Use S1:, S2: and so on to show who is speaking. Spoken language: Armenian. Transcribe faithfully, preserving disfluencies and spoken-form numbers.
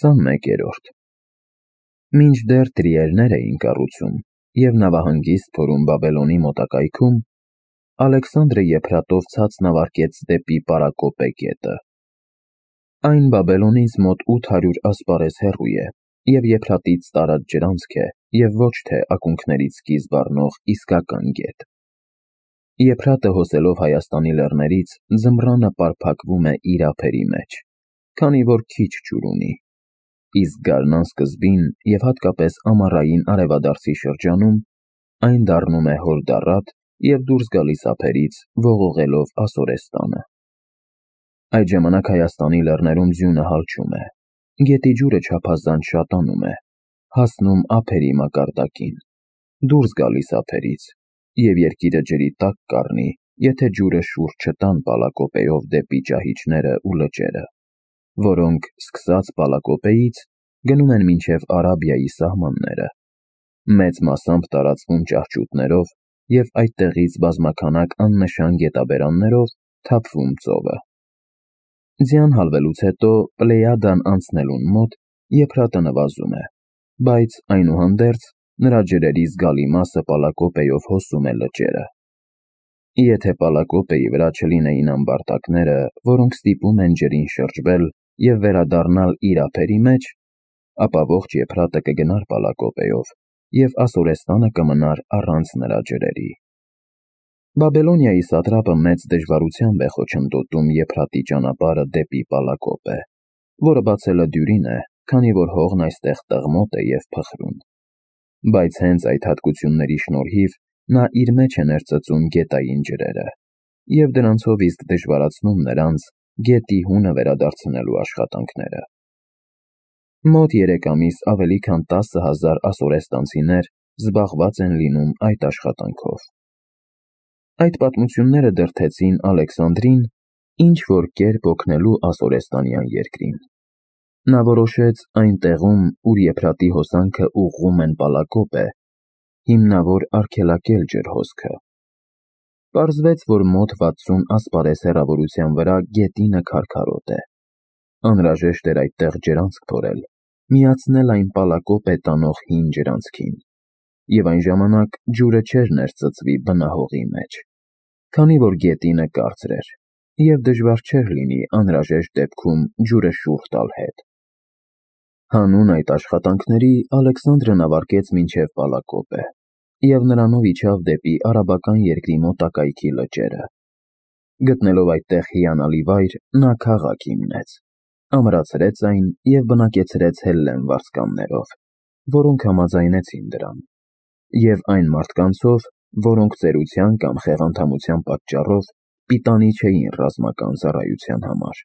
S1: քսանմեկերորդ Մինչդեռ տրիերներ էին կառուցում և նավահանգիստ փորում Բաբելոնի մոտակայքում, Ալեքսանդրը եփրատով ցած նավարկեց դեպի Պարակոպե գետը։ Այն Բաբելոնից մոտ ութ հարյուր ասպարեզ հեռու է և եփրատից տարած ջրանցք է և ոչ թե ակունքներից սկիզբ առնող իսկական գետ։ Եփրատը հոսելով Հայաստանի լեռներից ձմռանը պարփակվում է իր ափերի մեջ, քանի որ քիչ ջուր ունի, իսկ գարնան սկզբին և հատկապես ամառային արևադարձի շրջանում այն դառնում է հորդառատ և դուրս գալիս ափերից, ողողելով Ասորեստանը։ Այդ ժամանակ Հայաստանի լեռներում ձյունը հալչում է, գետի ջուրը չափազանց շատանում է, հասնում ափերի մակարդակին, դուրս գալիս ափերից, և երկիրը ջրի տակ կառնի, եթե ջուրը շուռ չտան Պալակոպեով դեպի ճահիճները ու լճերը, որոնք, սկսած Պալակոպեից, գնում են մինչև Արաբիայի սահմանները, մեծ մասամբ տարածվում ճահճուտներով և այդտեղից բազմաքանակ աննշան գետաբերաններով թափվում ծովը։ Ձյան հալվելուց հետո Պլեյադան անցնելուն մոտ եփրատը նվազում է, բայց այնուհանդերձ նրա ջրերի զգալի մասը Պալակոպեով հոսում է լճերը։ Եթե Պալակոպեի վրա չլինեին ամբարտակները, որոնք ստիպում են ջրին շրջվել և վերադառնալ իր ափերի մեջ, ապա ողջ եփրատը կգնար Պալակոպեով, և Ասորեստանը կմնար առանց նրա ջրերի։ Բաբելոնիայի սատրապը մեծ դժվարությամբ է խոչընդոտում եփրատի ճանապարհը դեպի Պալակոպե, որը բացելը դյուրին է, քանի որ հողն այստեղ տղմոտ է և փխրուն։ Բայց հենց այդ հատկությունների շնորհիվ նա իր մեջ է ներծծում գետային ջրերը և դրանցով իսկ դժվարացնում նրանց գետի հունը վերադարձնելու աշխատանքները։ Մոտ երեք ամիս ավելի քան տասը հազար ասորեստանցիներ զբաղված են լինում այդ աշխատանքով։ Այդ պատմությունները դրդեցին Ալեքսանդրին ինչ-որ կերպ օգնելու ասորեստանյան երկրին։ Նա որոշեց այն տեղում, ուր եփրատի հոսանքը ուղղում են Պալակոպե, հիմնավոր արգելակել ջրհոսքը։ Պարզվեց, որ մոտ վաթսուն ասպարեզ հեռավորության վրա գետինը քարքարոտ է։ Անհրաժեշտ էր այդտեղ ջրանցք փորել, միացնել այն Պալակոպե տանող հին ջրանցքին, և այն ժամանակ ջուրը չէր ներծծվի բնահողի մեջ, քանի որ գետինը կարծր էր, և դժվար չէր լինի անհրաժեշտ դեպքում ջուրը շուռ տալ հետ։ Հանուն այդ աշխատանքների Ալեքսանդրը նավարկեց մինչև Պալակոպե և նրանով իջավ դեպի արաբական երկրի մոտակայքի լճերը։ Գտնելով այդտեղ հիանալի վայր, նա քաղաք հիմնեց, ամրացրեց այն և բնակեցրեց հելլեն վարձկաններով, որոնք համաձայնեցին դրան, և այն մարդկանցով, որոնք ծերության կամ խեղանդամության պատճառով պիտանի չէին ռազմական ծառայության համար։